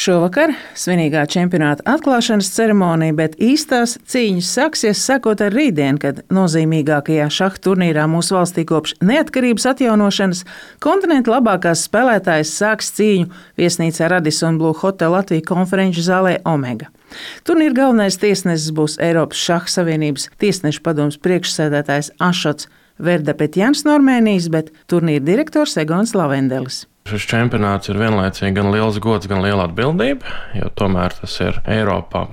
Šovakar svinīgā čempionāta atklāšanas ceremonija, bet īstās cīņas sāksies sekot ar rītdienu, kad nozīmīgākajā šaha turnīrā mūsu valstī kopš neatkarības atjaunošanas kontinenta labākās spēlētājas sāks cīņu viesnīcā Radisson Blu Hotel Latvija konferenču zālē Omega. Turnīra galvenais tiesnesis būs Eiropas Šaha Savienības tiesnešu padomes priekšsēdētājs Ašots Verdapetjans no Armēnijas, bet turnīra direktors Egons Lavendelis. Šis čempionāts ir vienlaicīgi gan liels gods, gan liela atbildība, jo tomēr tas ir Eiropā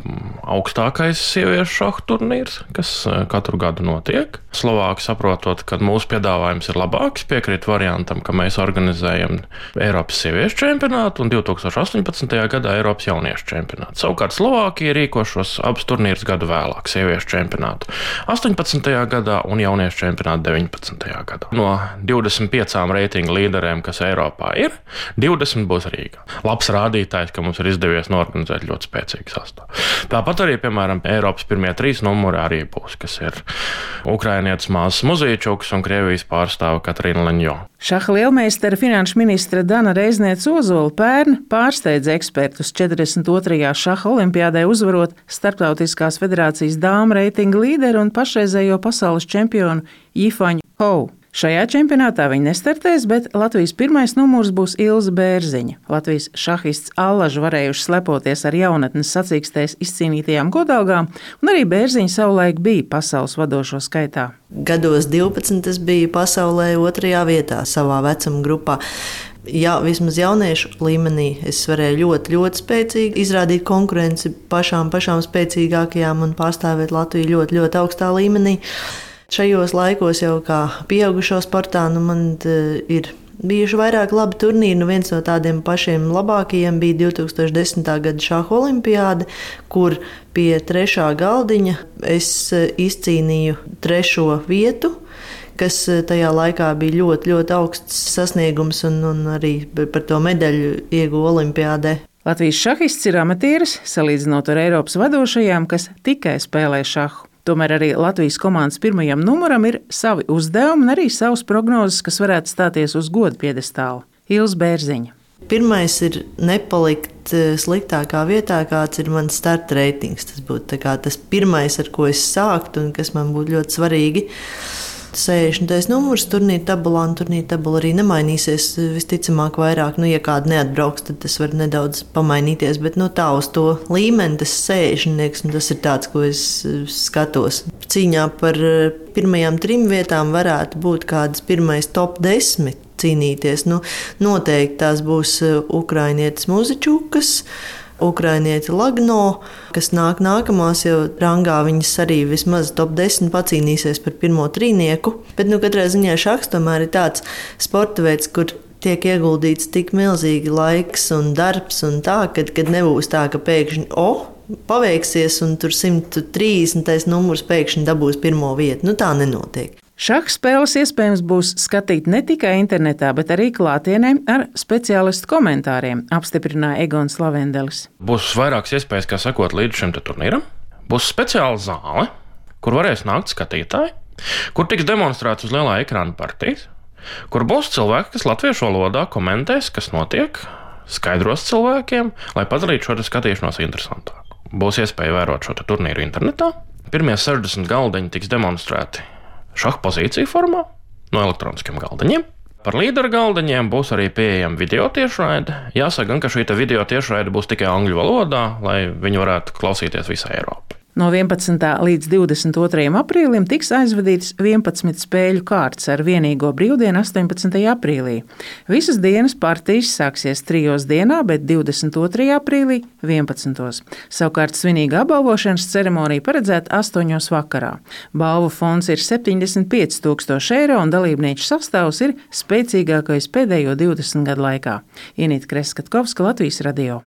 augstākais sieviešu šaha turnīrs, kas katru gadu notiek. Slovāki, saprotot, ka mūsu piedāvājums ir labāks, piekrīt variantam, ka mēs organizējam Eiropas sieviešu čempionātu un 2018. gadā Eiropas jauniešu čempionātu. Savukārt Slovākija rīko šos abus turnīrus gadu vēlāk, sieviešu čempionātu 18. gadā un jauniešu čempionātu 19. gadā. No 25 reitingu līderiem, kas Eiropā ir, 20 būs Rīgā. Labs rādītājs, ka mums ir izdevies norganizēt ļoti spēcīgu sastāvu. Tāpat arī, piemēram, Eiropas pirmie 3 numuri arī būs, kas ir ukrainietis Māzes Muzīčuks un Krievijas pārstāve Katrīna Leņjo. Šaha lielmeistara finanšu ministre Dana Reizniece-Ozola pērn pārsteidza ekspertus 42. šaha olimpiādē uzvarot Starptautiskās federācijas dāmu reitinga līderi un pašreizējo pasaules čempionu Jifaņu Hou. Šajā čempionātā viņi nestartēs, bet Latvijas pirmais numurs būs Ilze Bērziņa. Latvijas šahists allaži varējuši slepoties ar jaunatnes sacīkstēs izcīnītajām godalgām, un arī Bērziņa savulaik bija pasaules vadošo skaitā. Gados 12 es biju pasaulē 2. vietā savā vecuma grupā. Jā, vismaz jauniešu līmenī es varēju ļoti spēcīgi izrādīt konkurenci pašām spēcīgākajām un pārstāvēt Latviju ļoti augstā līmenī. Šajos laikos jau kā pieaugušo sportā man ir bijuši vairāk labi turnīri. Viens no tādiem pašiem labākajiem bija 2010. gada šaha olimpiāde, kur pie 3. galdiņa es izcīnīju 3. vietu, kas tajā laikā bija ļoti augsts sasniegums un arī par to medaļu ieguva olimpiādē. Latvijas šahists ir amatieris, salīdzinot ar Eiropas vadošajām, kas tikai spēlē šahu. Tomēr arī Latvijas komandas pirmajam numuram ir savi uzdevumi un arī savas prognozes, kas varētu stāties uz goda piedestāla. Ilze Bērziņa. Pirmais ir nepalikt sliktākā vietā, kāds ir mans starta reitings. Tas būtu tas pirmais, ar ko es sāktu un kas man būtu ļoti svarīgi. 60. numurs turnīra tabulā, un turnīra tabula arī nemainīsies. Visticamāk, vairāk, ja kāda neatbrauks, tad tas var nedaudz pamainīties. Bet tā uz to līmeni, tas 60. Tas ir tāds, ko es skatos. Cīņā par pirmajām 3 vietām varētu būt kādas pirmais top 10 cīnīties. Noteikti tās būs ukrainietis Muzičukas, ukrainieti Lagno, kas nākamās jau rangā, viņas arī vismaz top 10 pacīnīsies par pirmo trīnieku. Bet katrā ziņā šahs tomēr ir tāds sporta veids, kur tiek ieguldīts tik milzīgi laiks un darbs, un tā, kad nebūs tā, ka pēkšņi paveiksies un tur 130. numurs pēkšņi dabūs pirmo vietu. Tā nenotiek. Šaha spēles iespējams būs skatīt ne tikai internetā, bet arī klātienē ar speciālistu komentāriem, apstiprināja Egons Lavendelis. Būs vairākas iespējas, kā sekot līdz šim turnīram. Būs speciāla zāle, kur varēs nākt skatītāji, kur tiks demonstrēts uz lielā ekrāna partijas, kur būs cilvēki, kas latviešu valodā komentēs, kas notiek, skaidros cilvēkiem, lai padarītu šo skatīšanos interesantāku. Būs iespēja vērot šo turnīru internetā. Pirmie 60 galdiņi tiks demonstrēti šaha pozīciju formā no elektroniskiem galdiņiem. Par līderu galdiņiem būs arī pieejama video tiešraide. Jāsaka gan, ka šī video tiešraide būs tikai angļu valodā, lai viņi varētu klausīties visā Eiropā. No 11. līdz 22. aprīlim tiks aizvadīts 11 spēļu kārts ar vienīgo brīvdienu 18. aprīlī. Visas dienas partijas sāksies 3 dienā, bet 22. aprīlī 11. Savukārt svinīga apbalvošanas ceremonija paredzēta 8. vakarā. Balvu fonds ir 75 000 eiro un dalībnieku sastāvs ir spēcīgākais pēdējo 20 gadu laikā. Inita Kreskatkovska, Latvijas radio.